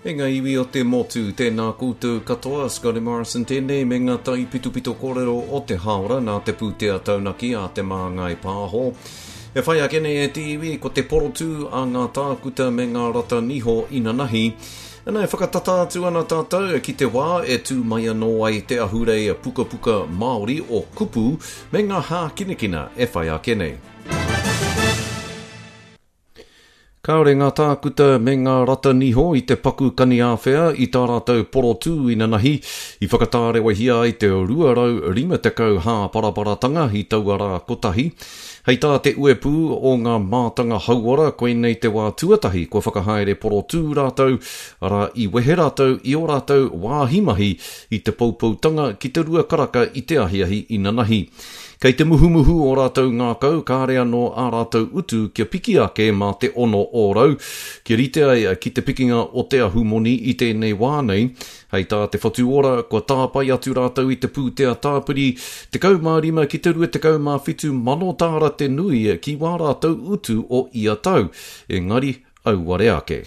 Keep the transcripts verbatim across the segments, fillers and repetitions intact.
E ngā iwi o te motu, tēnā koutou katoa, Scotty Morrison tēnei me ngā taipitopito kōrero o te hāora nā te pūtea taunaki a Te Māngai Pāho. E whai ake nei e te iwi, ko te porotū a ngā tākuta me ngā rata niho inanahi. Ana e whakatata atu ana tātou ki te wā e tū mai anō ai te ahurei pukapuka Māori o Kupu me ngā hākinakina e whai ake nei. Kāore ngā tākuta me ngā rata niho i te paku kaniāwhea i tā rātou porotū inanahi i whakatārewahia ai te rua rau rima tekau hāparaparatanga i taua rā kotahi. Hei tā te uepū o ngā mātanga hauora, koinei te wā tuatahi kua whakahaere porotū rātou, arā i wehe rātou i ō rātou wāhi mahi i te poupoutanga ki te rua karaka i te ahiahi inanahi. Kei te muhumuhu o rātou ngākau, kāre anō ā rātou utu kia piki ake mā te ono ōrau, kia rite ai ki te pikinga o te ahumoni i tēnei wā nei. Hei tā te Whatu Ora, kua tāpae atu rātou i te pūtea tāpiri tekau mā rima ki te rua tekau mā whitu mano tāra te nui ki wā rātou utu o ia tau, engari auare ake.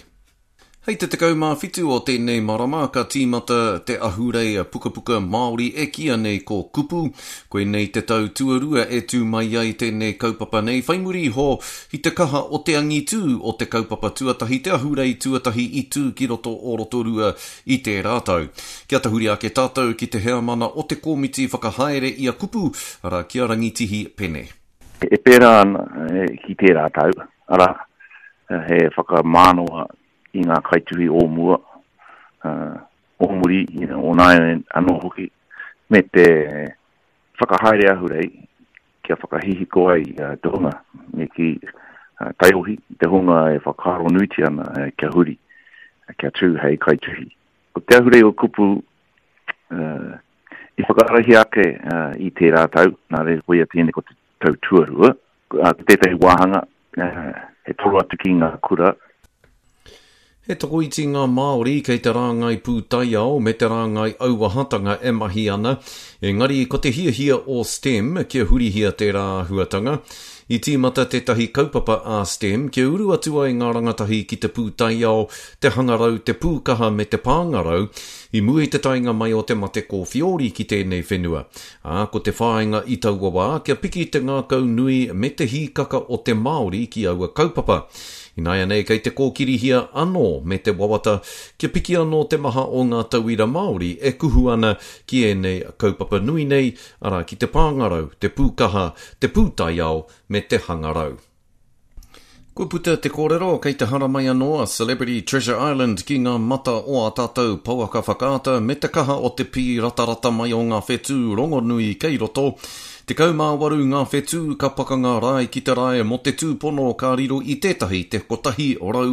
Hei te tekau mā whitu o tēnei marama ka tīmata te ahurei pukapuka Māori e kīia nei ko Kupu. Koinei te tau tuarua e tū mai ai tēnei kaupapa nei whai muri iho i te kaha o te angitū o te kaupapa tuatahi, te ahurei tuatahi i tū ki roto o Rotorua i tērā tau. Kia tahuri ake tātou ki te heamana o te komiti whakahaere i a Kupu, arā ki a Rangitihi Pene. E pērā ana ki tērā tau, arā, he whakamānawa i ngā kaituhi o mua, uh, o muri, you know, o nāiane anō hoki, me te whakahaere ahurei kia whakahihiko ai uh, te hunga, me ki uh, taiohi, te hunga e whakaaro nuitia ana uh, kia huri, kia tū hei kaituhi. Ko te ahurei o Kupu uh, i whakaarahia ake uh, i tērā tau, nā reira koia tēnei ko te tau tuarua, uh, tētahi wāhanga, uh, he toro atu ki ngā kura. He tokoiti ngā Māori kei te rāngai pūtaiao me te rāngai auahatanga e mahi ana, engari ko te hiahia o STEM kia hurihia tērā āhuatanga. I tīmata tētahi kaupapa a STEM kia uru atu ai ngā rangatahi ki te pūtaiao, te hangarau, te pūkaha me te pāngarau, i mua i te taenga mai o te mate kōwhiori ki tēnei whenua. Ā, ko te whāinga i taua wā kia piki te ngākau nui me te hīkaka o te Māori ki aua kaupapa. Ināianei kei te kōkirihia anō me te wawata kia piki anō te maha o ngā tauira Māori e kuhu ana ki ēnei kaupapa nui nei, arā ki te pāngarau, te pūkaha, te pūtaiao me te hangarau. Kua puta te kōrero kei te haramai anō a Celebrity Treasure Island ki ngā mata o ā tātou pouaka whakaata me te kaha o te pīratarata mai o ngā whetū rongonui kei roto. Tekau mā waru ngā whetū ka pakanga rae ki te rae mō te tūpono ka riro i tētahi te kotahi rau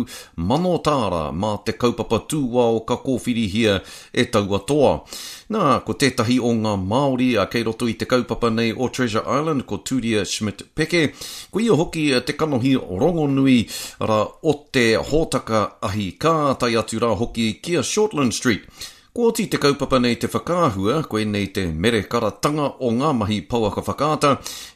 mano tāra mā te kaupapa tūao ka kōwhirihia e taua toa. Nā, ko tētahi o ngā Māori a kei roto i te kaupapa nei o Treasure Island, ko Turia Schmidt-Peke, ko ia hoki te kanohi rongonui rā o te hōtaka ahi kā, tae atu rā hoki ki a Shortland Street. Ko oti te kaupapa nei te whakaahua, koinei te merekaratanga o ngā mahi pouaka whakaata,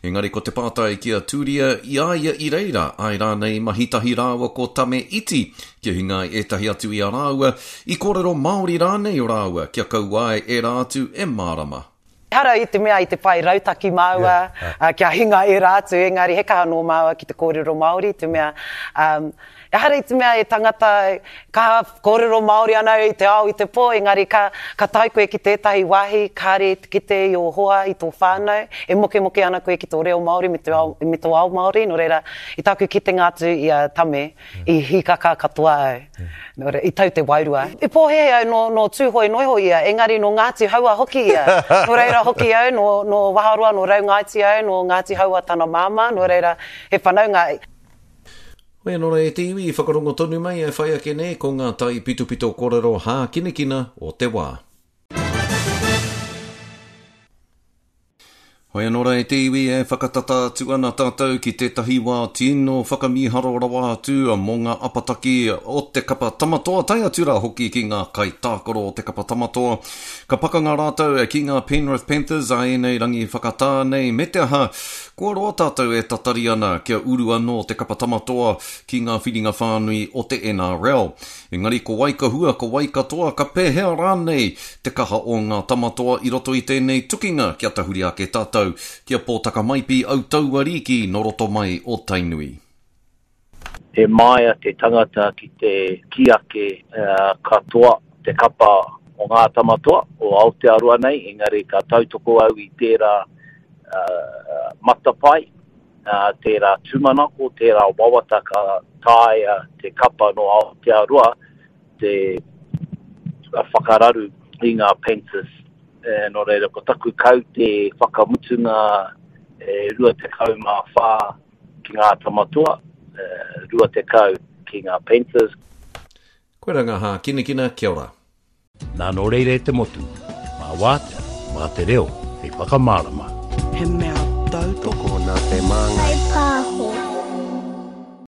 engari ko te pātai ki a Turia i a ia i reira, ai rānei mahi tahi rāua ko Tame Iti, kia hinga ai ētahi atu i a rāua, i kōrero Māori rānei o rāua, kia kaua ai ērā atu e mārama. Ehara i te mea i te whai rautaki māua, Yeah. uh, kia hinga ērā atu, engari he kaha nō māua ki te kōrero Māori, te mea, um, ehara i te mea e tangata kaha kōrero Māori ana i te ao i te pō, engari ka, ka tae koe ki tētahi wāhi, kāre te kite i ō hoa, i tō whānau, e mokemoke ana koe ki tō reo Māori me te ao, me tō ao Māori, nō reira, i tāku kitenga atu i a Tame, i hīkaka katoa au. Nō reira, i tau te wairua. I pōhēhē au nō, nō Tūhoe noiho ia, engari nō Ngāti Haua hoki ia. Nō reira hoki au, nō, nō Waharoa, nō Raungaiti au, nō Ngāti Haua tana māmā, nō reira, he whanaunga. Hoi anō rā e te iwi i whakarongo tonu mai e whai ake nei ko ngā taipitopito kōrero hākinakina o te wā. Hoi anō rā e te iwi e whakatata atu ana tātou ki tētahi wā tino whakamīharo rawa atu mō ngā apataki o te kapa Tamatoa, tae atu rā hoki ki ngā kaitākaro o te kapa Tamatoa. Ka pakanga rātou ki ngā Penrith Panthers a ēnei rangi whakatā nei, me te aha, kua roa tātou e tatari ana kia uru anō te kapa Tamatoa ki ngā whiringa whānui o te N R L. Engari ko wai ka hua, ko wai katoa, ka pēhea rānei te kaha o ngā Tamatoa i roto i tēnei tukinga kia tahuri ake tātou kia Pōtaka Maipi au tauariki no roto mai o Tainui. He māia te tangata ki te ki ake uh, katoa te kapa o ngā Tamatoa o Aotearoa nei, engari ka tautoko au i tērā uh, matapai, uh, tērā tūmanako, tērā wawata ka taea te kapa no Aotearoa te whakararu i ngā Panthers. E, nō reira, ko taku kau te whakamutunga e, rua tekau mā whā ki ngā Tamatoa, e, rua tekau ki ngā Panthers. Koe rā ngā hākinakina, kia ora. Nā nō reira e te motu, mā wātea, mā te reo, hei whakamārama. He mea tautoko nā te māngai. Kai pāho.